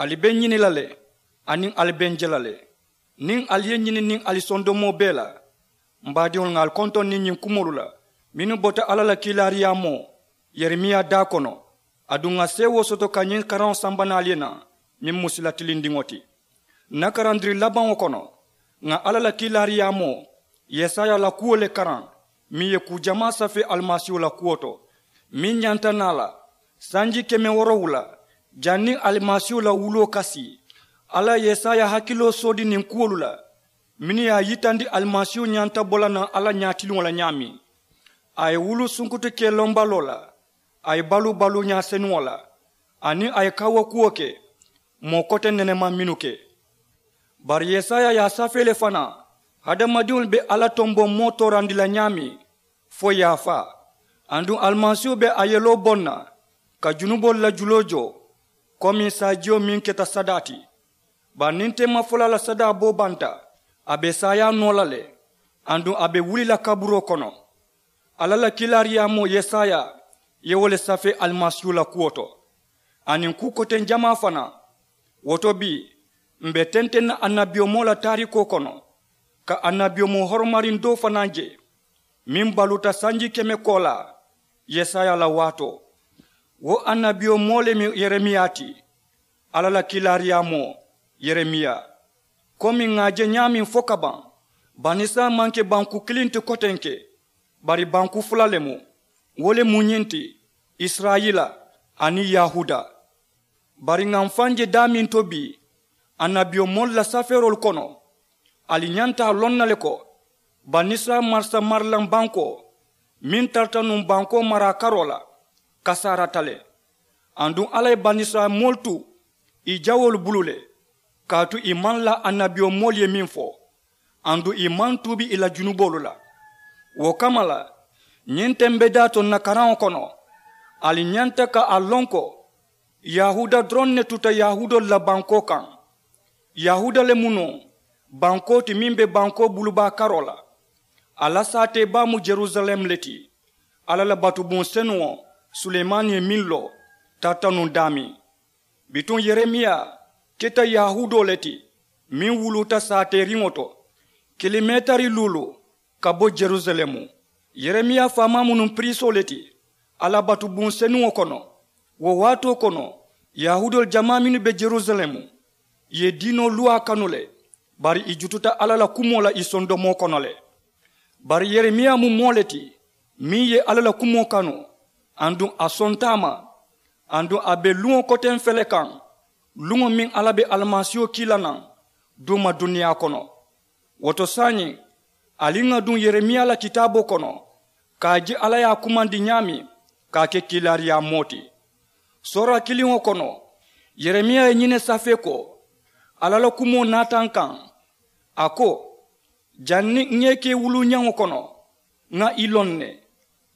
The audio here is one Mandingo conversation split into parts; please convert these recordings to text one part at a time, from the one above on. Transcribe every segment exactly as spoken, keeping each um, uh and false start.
Ali be n ñini la le, aniŋ ali be n je la le. Niŋ ali ye n ñini niŋ ali sondomoo bee la, m baadiŋolu, ŋà ali kontoŋ niŋ ñiŋ kumoolu la mennu bota alla la kiilaariyaamoo yeremiya daa kono. Aduŋ ŋà seewoo soto ka ñiŋ karaŋo samba naŋ ali ye naŋ, meŋ mu sila tilindiŋo ti. N na karandiri labaŋo kono, ŋà alla la kiilaariyaamoo yesaya la kuwo le karaŋ, meŋ ye kuu jamaa safee alimasiihu la kuwo to, meŋ ñanta naa la sanji keme woorowula janniŋ alimasiihu la wuloo ka sii. Alla ye yesaya hakiloo soodi niŋ kuwolu la mennu ye a yitandi alimasiihu ñanta bo la naŋ alla ñaatiliŋo la ñaameŋ. A ye wulu sunkutu kee lombaloo la, a ye baluu baluuñaa senuŋo la, aniŋ a ye kawukuwo ke moo kote nenemaŋ mennu ke. Bari yesaya ye a safee le fanaa, hadamadiŋolu be alla tomboŋ moo toorandi la ñaameŋ fo yaafaa. Aduŋ alimasiihu be a yeloo boŋ na ka junuboolu la juloo joo, komi saajiyo meŋ keta sadaa ti. Bari niŋ teemafolaa la sadaa boo banta, a be saayaa noo la le. Aduŋ a be wuli la kaburoo kono. Alla la kiilaariyaamoo yesaya ye wo le safee alimasiihu la kuwo to, aniŋ kuu koteŋ jamaa fanaa. Wo to bii, m̀ be tenteŋ na annabiyomoo la taarikoo kono, ka annabiyomoo horomariŋ doo fanaa je meŋ baluuta sanji keme koolaa yesaya la waatoo. Wo annabiyomoo le mu yeremiya ti, alla la kiilaariyaamoo yeremiya. Komi ŋà a je ñaameŋ fo ka baŋ, banisirayila maŋ ke banku kiliŋ ti kotenke, bari banku fula le mu. Wo le mu ñiŋ ti, isirayila aniŋ yahuuda. Bari ŋà m̀ faŋ je daameŋ to bii, annabiyomoolu la safeeroolu kono, ali ñanta a loŋ na le ko banisirayila marisa marilaŋ bankoo meŋ tarata nuŋ bankoo maraa karoo la, kasaarata le. Aduŋ alla ye banisirayila moolu tu ì jawoolu bulu le, kaatu ì maŋ laa annabiyomoolu ye meŋ fo, aduŋ ì maŋ tuubi ì la junuboolu la. Wo kamma la, ñiŋ tembedaa to ǹ na karaŋo kono, ali ñanta ka a loŋ ko yahuuda doroŋ ne tuta yahuudoolu la bankoo kaŋ. Yahuuda le mu noo bankoo ti meŋ be bankoo bulubaa karoo la. A la saatee baa mu jerusalem le ti. Alla la batubuŋ senuŋo, sulemani ye meŋ loo, tarata nuŋ daameŋ. Bituŋ yeremiya keta yahuudoo le ti, meŋ wuluuta saateeriŋo to, kilomeetari luulu ka bo jerusalemu. Yeremiya faamaa mu nuŋ piriisoo le ti alla batubuŋ senuŋo kono. Wo waatoo kono, yahuudoolu jamaa mennu be jerusalemu ye diinoo luwaa kanu le, bari ì jututa alla la kumoo la ì sondomoo kono le. Bari yeremiya mu moo le ti meŋ ye alla la kumoo kanu, aduŋ a sonta a ma. Aduŋ a be luŋo koteŋ fele kaŋ, luŋo meŋ alla be alimasiiho kii la naŋ duuma duniyaa kono. Wo to saayiŋ, ali ŋà duŋ yeremiya la kitaaboo kono, ka a je alla ye a kumandi ñaameŋ ka a ke kiilaariyaa moo ti. Soora kiliŋo kono, yeremiya ye ñiŋ ne safee ko, alla la kumoo naata n kaŋ, a ko, janniŋ ŋa i ke wuluuñaŋo kono, ŋa i loŋ ne.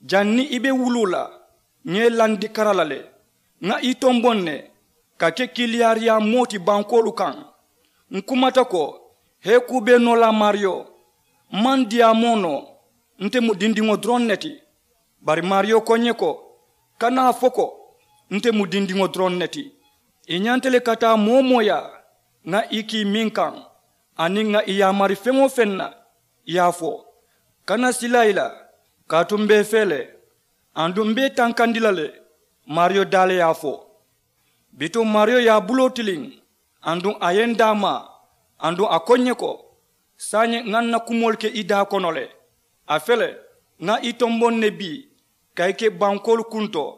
Janniŋ i be wuluu la, ŋa i landi kara la le. Ŋa i tomboŋ ne ka ke kiiliyaariyaa moo ti bankoolu kaŋ. Ǹ kumata ko, hee kuu bee noo la maariyo, m maŋ diyaamoo noo. Nte mu dindiŋo doroŋ ne ti. Bari maariyo ko ǹ ye ko, kana a fo ko, nte mu dindiŋo doroŋ ne ti. I ñanta le ka taa moo-wo-moo yaa, ŋa i kii meŋ kaŋ, aniŋ ŋa i yaamari feŋ-wo-feŋ na, i ye a fo. Kana sila i la, kaatu m be i fee le, aduŋ m be i tankandi la le. Maariyo daa le ye a fo. Bituŋ maariyo ye a buloo tiliŋ, aduŋ a ye n daamaa, aduŋ a ko ǹ ye ko, saayiŋ ŋa n na kumoolu ke i daa kono le. A fele, ŋa i tomboŋ ne bii ka i ke bankoolu kuntoo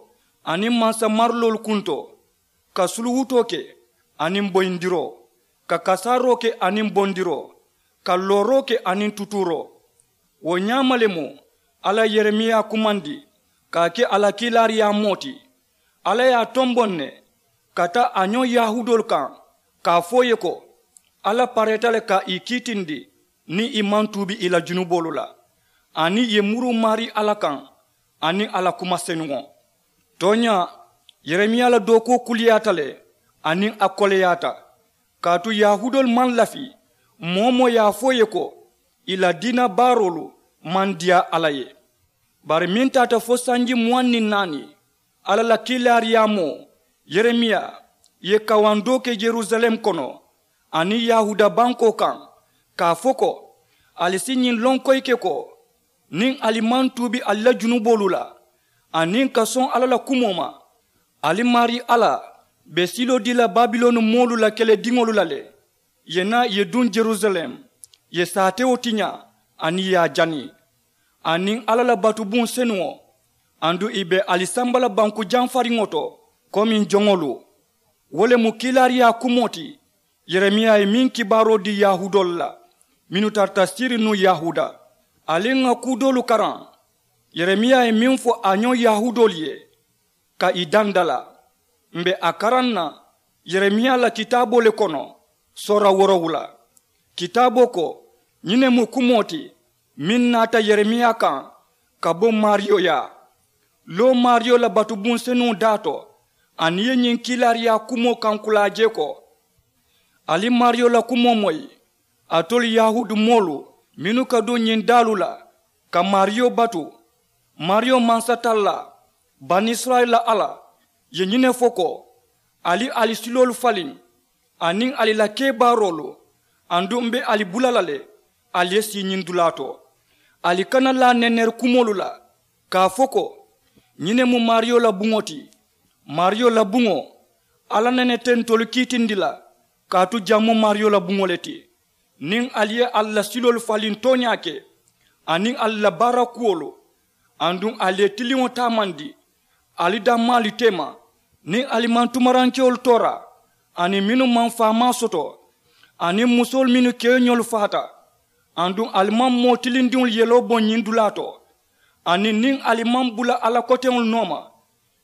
aniŋ mansa mariloolu kuntoo, ka suluwutoo ke aniŋ boyindiroo, ka kasaaroo ke aniŋ bondiroo, ka looroo ke aniŋ tutuuroo. Wo ñaama le mu alla ye yeremiya kumandi ka a ke a la kiilaariyaa moo ti. Alla ye a tomboŋ ne ka taa a ñoŋ yahuudoolu kaŋ, ka a fo ì ye ko, alla pareeta le ka ì kiitindi niŋ ì maŋ tuubi ì la junuboolu la, aniŋ ì ye muruu maarii alla kaŋ aniŋ a la kuma senuŋo. Tooñaa, yeremiya la dookuwo kuliyaata le, aniŋ a koleyaata. Kaatu yahuudoolu maŋ lafi, moo-wo-moo ye a fo ì ye ko, ì la diina baaroolu maŋ diyaa alla ye. Bari meŋ taata fo sanji muwaŋ niŋ naani, alla la kiilaariyaamoo yeremiya Ì ye kawandoo ke yerusaleemu kono aniŋ yahuuda bankoo kaŋ, ka a fo ko, ali si ñiŋ loŋ koyi ke ko, niŋ ali maŋ tuubi ali la junuboolu la aniŋ ka soŋ alla la kumoo ma, ali maarii alla be siloo dii la babiloni moolu la kelediŋolu la le. Ì ye naa ì ye duŋ yerusaleemu, ì ye saatewo tiñaa aniŋ ì ye a jani, aniŋ alla la batubuŋ senuŋo, aduŋ ì be ali samba la banku jamfariŋo to komiŋ joŋolu. Wo le mu kiilaariyaa kumoo ti yeremiya ye meŋ kibaaroo dii yahuudoolu la mennu tarata siriŋ nuŋ yahuuda. Ali ŋà kuu doolu karaŋ. Yeremiya ye meŋ fo a ñoŋ yahuudoolu ye ka ì dandalaa, m̀ be a karaŋ na yeremiya la kitaaboo le kono, soora woorowula. Kitaaboo ko, ñiŋ ne mu kumoo ti meŋ naata yeremiya kaŋ ka bo maariyo yaa. Loo maariyo la batubuŋ senuŋo daa to, aniŋ ì ye ñiŋ kiilaariyaa kumoo kankulaa jee ko, ali maariyo la kumoo moyi, alitolu yahuudu moolu mennu ka duŋ ñiŋ daalu la ka maariyo batu. Maariyo mansatallaa, banisirayila alla, ye ñiŋ ne fo ko, ali ali siloolu faliŋ aniŋ ali la kebaaroolu, aduŋ m̀ be ali bula la le ali ye sii ñiŋ dulaa to. Ali kana laa neneri kumoolu la ka a fo ko, ñiŋ ne mu maariyo la buŋo ti. Maariyo la buŋo, alla nene te ntolu kiitindi la, kaatu jaŋ mu maariyo la buŋo le ti. Niŋ ali ye ali la siloolu faliŋ tooñaa ke aniŋ ali la baara kuwolu, aduŋ ali ye tiliŋo taamandi ali dammaalu teema, niŋ ali maŋ tumarankewolu toora, aniŋ mennu maŋ faamaa soto, aniŋ musoolu mennu keeñolu faata, aduŋ ali maŋ moo tilindiŋolu yeloo boŋ ñiŋ dulaa to, aniŋ niŋ ali maŋ bula alla koteŋolu nooma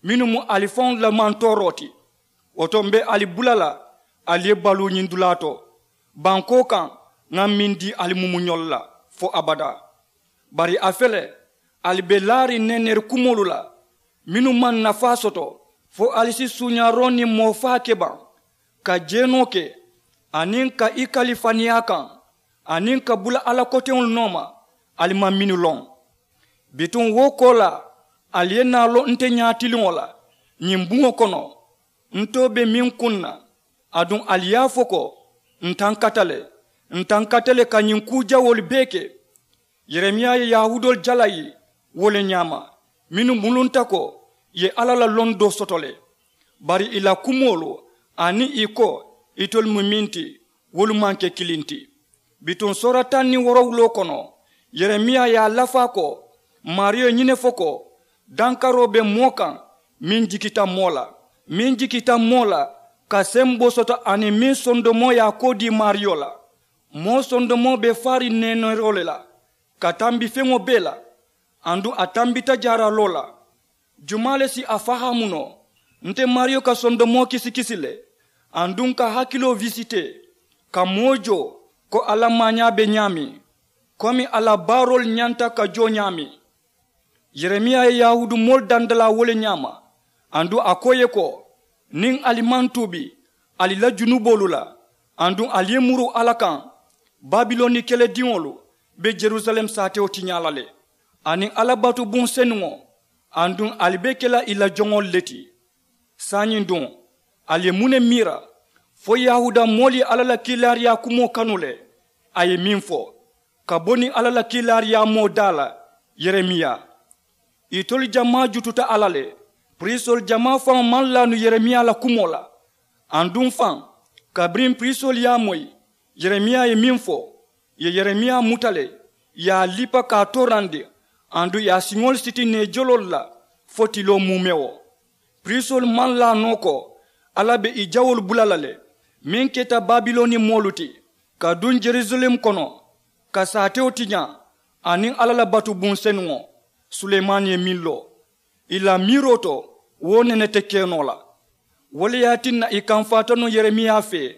mennu mu ali faŋolu la mantooroo ti, wo to m̀ be ali bula la ali ye baluu ñiŋ dulaa to. Bankoo kaŋ, ŋa meŋ dii ali mumuñolu la fo abadaa. Bari a fele, ali be laariŋ neneri kumoolu la mennu maŋ nafaa soto, fo ali si suuñaaroo niŋ moo faa ke baŋ, ka jeenoo ke, aniŋ ka i kali faniyaa kaŋ, aniŋ ka bula alla koteŋolu nooma ali maŋ mennu loŋ. Bituŋ wo koolaa, ali ye naa loŋ nte ñaatiliŋo la ñiŋ buŋo kono, ntoo be meŋ kuŋ na, aduŋ ali ye a fo ko, ǹ tankata le, ǹ tankata le ka ñiŋ kuu jawoolu bee ke. Yeremiya ye yahuudoolu jalayi wo le ñaama, mennu mulunta ko ì ye alla la londoo soto le. Bari ì la kumoolu aniŋ ì ko itolu mu meŋ ti, wolu maŋ ke kiliŋ ti. Bituŋ soora taŋ niŋ woorowuloo kono, yeremiya ye a lafaa ko, maariyo ye ñiŋ ne fo ko, dankaroo be moo kaŋ meŋ jikita moo la, meŋ jikita moo la ka semboo soto, aniŋ meŋ sondomoo ye a koo dii maariyo la. Moo sondomoo be faariŋ neeneeroo le la ka tambi feŋo bee la, aduŋ a tambita jaaraloo la. Jumaa le si a fahaamu noo? Nte maariyo ka sondomoo kisikisi le, aduŋ ka hakiloo wisitee, ka moo joo ko a la maañaa be ñaameŋ, komi a la baaroolu ñanta ka joo ñaameŋ. Yeremiya ye yahuudu moolu dandalaa wo le ñaama, aduŋ a ko ì ye ko, niŋ ali maŋ tuubi ali la junuboolu la, aduŋ ali ye muru alla kaŋ, babiloni kelediŋolu be yerusalem saatewo tiñaa la le, aniŋ alla batubuŋ senuŋo, aduŋ ali be ke la ì la joŋolu le ti. Saayiŋ duŋ, ali ye muŋ ne miira? Fo yahuuda moolu ye alla la kiilaariyaa kumoo kanu le. A ye meŋ fo ka bo niŋ alla la kiilaariyaamoo daa la, yeremiya. Itolu jamaa jututa alla le. Piriisoolu jamaa faŋo maŋ laanu yeremiya la kumoo la. Aduŋ faŋ, kabiriŋ piriisoolu ye a moyi, yeremiya ye meŋ fo, ì ye yeremiya muta le, ì ye a lipa ka a toorandi, aduŋ ì ye a siŋolu siti neejoloolu la fo tiloo muumewo. Piriisoolu maŋ laa noo ko alla be ì jawoolu bula la le, meŋ keta babiloni moolu ti, ka duŋ yerusalem kono, ka saatewo tiñaa aniŋ alla la batubuŋ senuŋo. Sulemaani ye meŋ loo ì la miiroo to, wo nene te ke noo la. Wo le ye a tinna ì kamfaata nuŋ yeremiya fee,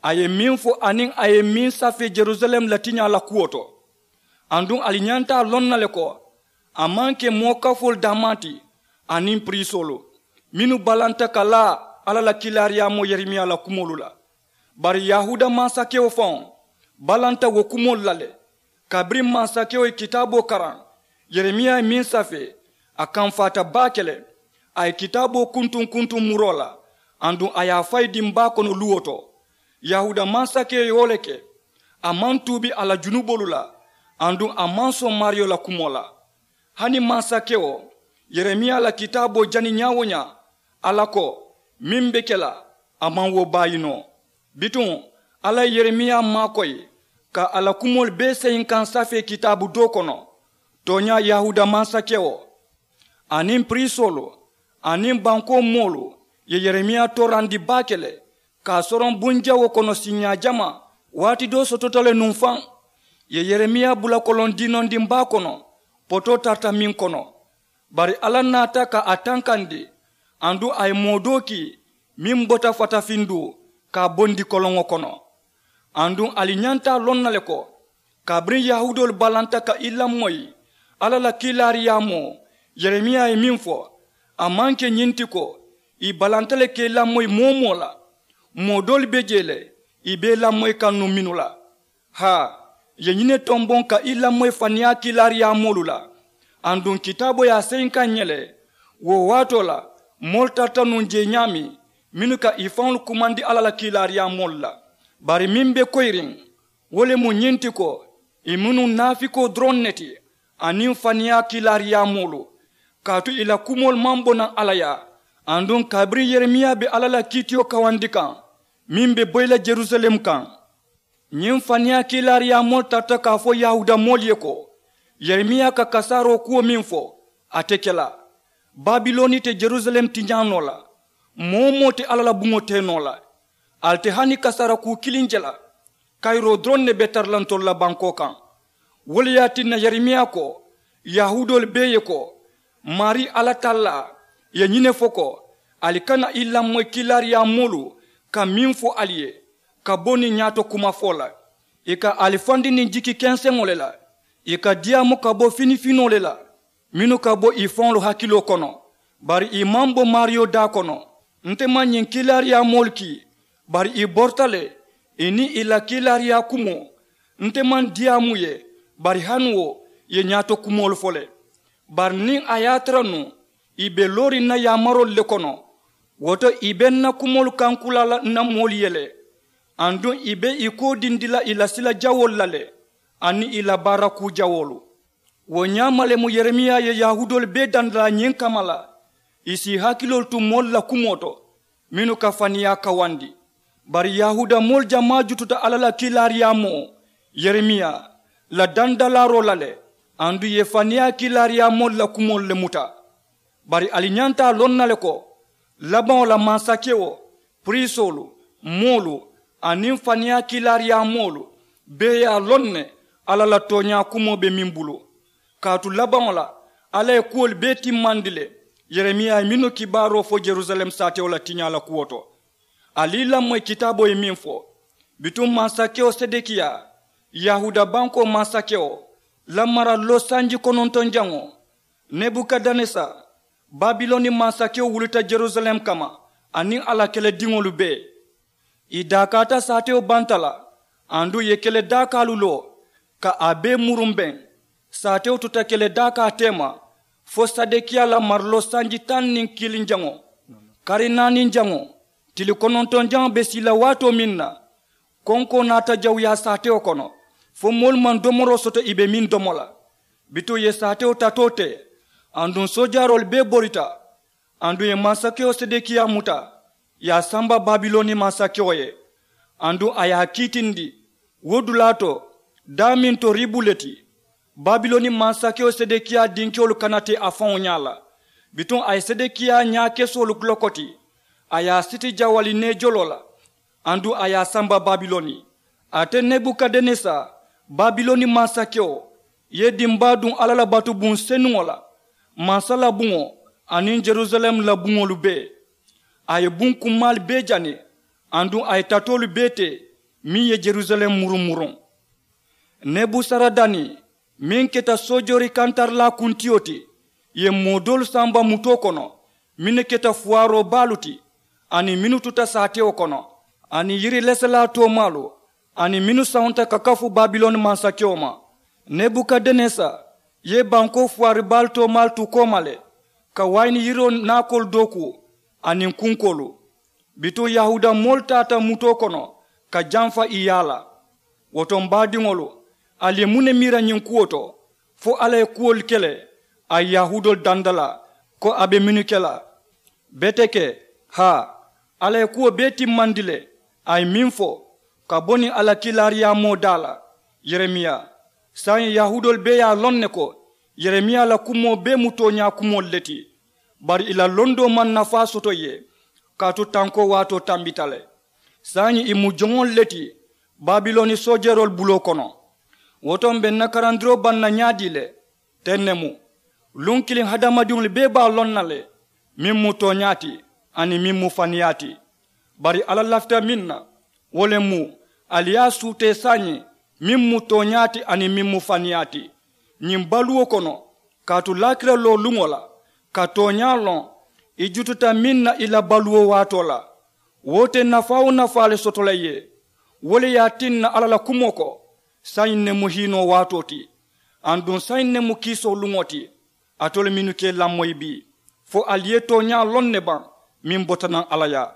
a ye meŋ fo aniŋ a ye meŋ safee yerusalem la tiñaa la kuwo to. Aduŋ ali ñanta a loŋ na le ko, a maŋ ke moo kafoolu daamaa ti aniŋ piriisoolu mennu balanta ka laa alla la kiilaariyaamoo yeremiya la kumoolu la. Bari yahuuda mansakewo faŋo balanta wo kumoolu la le. Kabiriŋ mansakewo ye kitaaboo karaŋ, yeremiya ye meŋ safee, a kamfaata baake le. A ye kitaaboo kuntuŋ kuntuŋ muroo la, Aduŋ a ye a fayi diŋ baa kono luwo to. Yahuuda mansakewo ye wo le ke. A maŋ tuubi a la junuboolu la. Aduŋ a maŋ soŋ maariyo la kumoo la. Hani mansakewo, yeremiya la kitaaboo jani ñaa-wo-ñaa, alla ko meŋ be ke la, a maŋ wo baayi noo. Bituŋ, alla ye yeremiya maakoyi ka a la kumoolu bee seyinkaŋ safee kitaabu doo kono. Tooñaa, yahuuda mansakewo aniŋ piriisoolu aniŋ bankoo moolu ye yeremiya toorandi baake le, ka a soroŋ bunjawoo kono siiñaa jamaa. Waati doo sotota le nuŋ faŋ, ì ye yeremiya bula koloŋ diinondiŋ baa kono, potoo tarata meŋ kono. Bari alla naata ka a tankandi, aduŋ a ye moo doo kii meŋ bota fatafinduu ka a bondi koloŋo kono. Aduŋ ali ñanta a loŋ na le ko, kabiriŋ yahuudoolu balanta ka i lamoyi alla la kiilaariyaamoo, yeremiya ye meŋ fo, a maŋ ke ñiŋ ti ko ì balanta le ka i lamoyi moo-wo-moo la. Moo doolu be jee le, ì be i lamoyi kaŋ nuŋ mennu la. Haa, ì ye ñiŋ ne tomboŋ ka i lamoyi faniyaa kiilaariyaamoolu la. Aduŋ kitaaboo ye a seyinkaŋ ǹ ye le, wo waatoo la moolu tarata nuŋ jee ñaameŋ mennu ka ì faŋolu kumandi alla la kiilaariyaamoolu la. Bari meŋ be koyiriŋ, wo le mu ñiŋ ti ko, ì mu nuŋ naafikoo doroŋ ne ti aniŋ faniyaa kiilaariyaamoolu. Kaatu ì la kumoolu maŋ bo naŋ alla yaa. Aduŋ kabiriŋ yeremiya be alla la kiitiyo kawandi kaŋ meŋ be boyi la jerusalem kaŋ, ñiŋ faniyaa kiilaariyaamoolu tarata ka a fo yahuuda moolu ye ko, yeremiya ka kasaaroo kuwo meŋ fo, a te ke la. Babiloni te jerusalem tiñaa noo la. Moo-wo-moo te alla la buŋo tee noo la. Ali te hani kasaara kuu kiliŋ je la. Kayiroo doroŋ ne be tara la ntolu la bankoo kaŋ. Wo le ye a tinna yeremiya ko, yahuudoolu bee ye ko, maarii alla tallaa ye ñiŋ ne fo ko, ali kana i lamoyi kiilaariyaamoolu ka meŋ fo ali ye, ka bo niŋ ñaato kumafoo la. Ì ka ali fandi niŋ jiki kenseŋo le la. Ì ka diyaamu ka bo finifinoo le la, mennu ka bo ì faŋolu hakiloo kono. Bari ì maŋ bo maariyo daa kono. Nte maŋ ñiŋ kiilaariyaamoolu kii, bari ì borita le. Ì niŋ ì la kiilaariyaa kumoo, nte maŋ diyaamu ì ye. Bari hani wo, ì ye ñaato kumoolu fo le. Bari niŋ a ye a tara nuŋ ì be looriŋ ǹ na yaamaroolu le kono, wo to ì be ǹ na kumoolu kankulaa la ǹ na moolu ye le. Aduŋ ì be ì koodindi la ì la sila jawoolu la le, aniŋ ì la baara kuu jawoolu. Wo ñaama le mu yeremiya ye yahuudoolu bee dandalaa ñiŋ kamma la, ì si ì hakiloolu tu moolu la kumoo to mennu ka faniyaa kawandi. Bari yahuuda moolu jamaa jututa alla la kiilaariyaamoo, yeremiya la dandalaaroo la le. Aduŋ ì ye faniyaa kiilaariyaamoolu la kumoolu le muta. Bari ali ñanta a loŋ na le ko, labaŋo la mansakewo, piriisoolu, moolu, aniŋ faniyaa kiilaariyaamoolu bee ye a loŋ ne alla la tooñaa kumoo be meŋ bulu. Kaatu labaŋo la, alla ye kuwolu bee timmandi le. Yeremiya ye mennu kibaaroo fo jerusalem saatewo la tiñaa la kuwo to, ali i lamoyi kitaaboo ye meŋ fo. Bituŋ mansakewo sedekiya, yahuuda bankoo mansakewo, la mara loo sanji konontonjaŋo, nebukadenesa, babiloni mansakewo wulita jerusalem kamma, aniŋ a la kelediŋolu bee. Ì daakaata saatewo banta la, aduŋ ì ye kele daakaalu loo ka a bee murumbeŋ. Saatewo tuta kele daakaa teema fo sedekiya la mariloo sanji taŋ niŋ kiliŋ jaŋo, kari naaniŋ jaŋo, tili konontoŋ jaŋo be sii la waatoo meŋ na, konkoo naata jawuyaa saatewo kono, fo moolu maŋ domoroo soto ì be meŋ domo la. Bituŋ ì ye saatewo tatoo te, aduŋ soojaaroolu bee borita. Aduŋ ì ye mansakewo sedekiya muta, ì ye a samba babiloni mansakewo ye. Aduŋ a ye a kiitindi wo dulaa to, daameŋ to ribu le ti. Babiloni mansakewo sedekiya dinkewolu kana te a faŋo ñaa la. Bituŋ a ye sedekiya ñaakesoolu lokoti, a ye a siti jawali neejoloo la, aduŋ a ye a samba babiloni. Ate nebukadenesa, babiloni mansakewo, ye dimbaa duŋ alla la batubuŋ senuŋo la, mansa la buŋo, aniŋ jerusalem la buŋolu bee. A ye buŋ kummaalu bee jani, aduŋ a ye tatoolu bee te meŋ ye jerusalem murumuruŋ. Nebusaradani, meŋ keta soojoori kantarilaa kuntiyo ti, ye moo doolu samba mutoo kono, mennu keta fuwaaroo baalu ti, aniŋ mennu tuta saatewo kono, aniŋ yiri leselaa toomaalu, aniŋ mennu sawunta ka kafu babiloni mansakewo ma. Nebukadenesa ye bankoo fuwaari baalu toomaalu tu kooma le, ka wayini yiroo naakoolu dookuu, aniŋ kunkoolu. Bituŋ yahuuda moolu taata mutoo kono ka jamfa i yaa la. Wo to m baadiŋolu, ali ye muŋ ne miira ñiŋ kuwo to? Fo alla ye kuwolu ke le a ye yahuudoolu danda la ko a be mennu ke la? Beteke, haa, alla ye kuwo bee timmandi le. A ye meŋ fo ka bo niŋ a la kiilaariyaamoo daa la, yeremiya. Saayiŋ yahuudoolu bee ye a loŋ ne ko yeremiya la kumoo bee mu tooñaa kumoolu le ti. Bari ì la londoo maŋ nafaa soto ì ye, kaatu tankoo waatoo tambita le. Saayiŋ ì mu joŋolu le ti babiloni soojeroolu buloo kono. Wo to m be n na karandiroo baŋ na ñaadii le? Teŋ ne mu. Luŋ kiliŋ hadamadiŋolu bee be a loŋ na le meŋ mu tooñaa ti aniŋ meŋ mu faniyaa ti. Bari alla lafita meŋ na, wo le mu ali ye a suutee saayiŋ meŋ mu tooñaa ti aniŋ meŋ mu faniyaa ti. Ñiŋ baluwo kono, kaatu laakira loo luŋo la, ka tooñaa loŋ ì jututa meŋ na ì la baluwo waatoo la, wo te nafaa-wo-nafaa le soto la ì ye. Wo le ye a tinna alla la kumoo ko, saayiŋ ne mu hiinoo waatoo ti, aduŋ saayiŋ ne mu kiisoo luŋo ti. Alitolu mennu ka ì lamoyi bii, fo ali ye tooñaa loŋ ne baŋ meŋ bota naŋ alla yaa?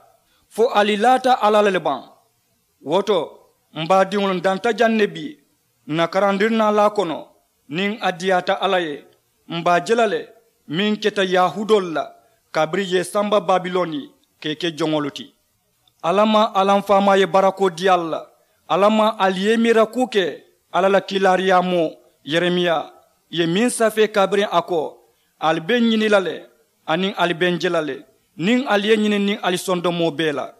Fo ali laata alla la le baŋ? Wo to, m baadiŋolu, n danta jaŋ ne bii n na karandirinaalaa kono. Niŋ a diyaata alla ye, m be a je la le meŋ keta yahuudoolu la kabiriŋ ì ye ì samba babiloni ka ì ke joŋolu ti. Alla maŋ alla m faamaa ye barakoo dii ali la. Alla maŋ ali ye i miira kuu ke alla la kiilaariyaamoo yeremiya ye meŋ safee kabiriŋ a ko, ali be n ñini la le, aniŋ ali be n je la le, niŋ ali ye ñini niŋ ali sondomoo bee la.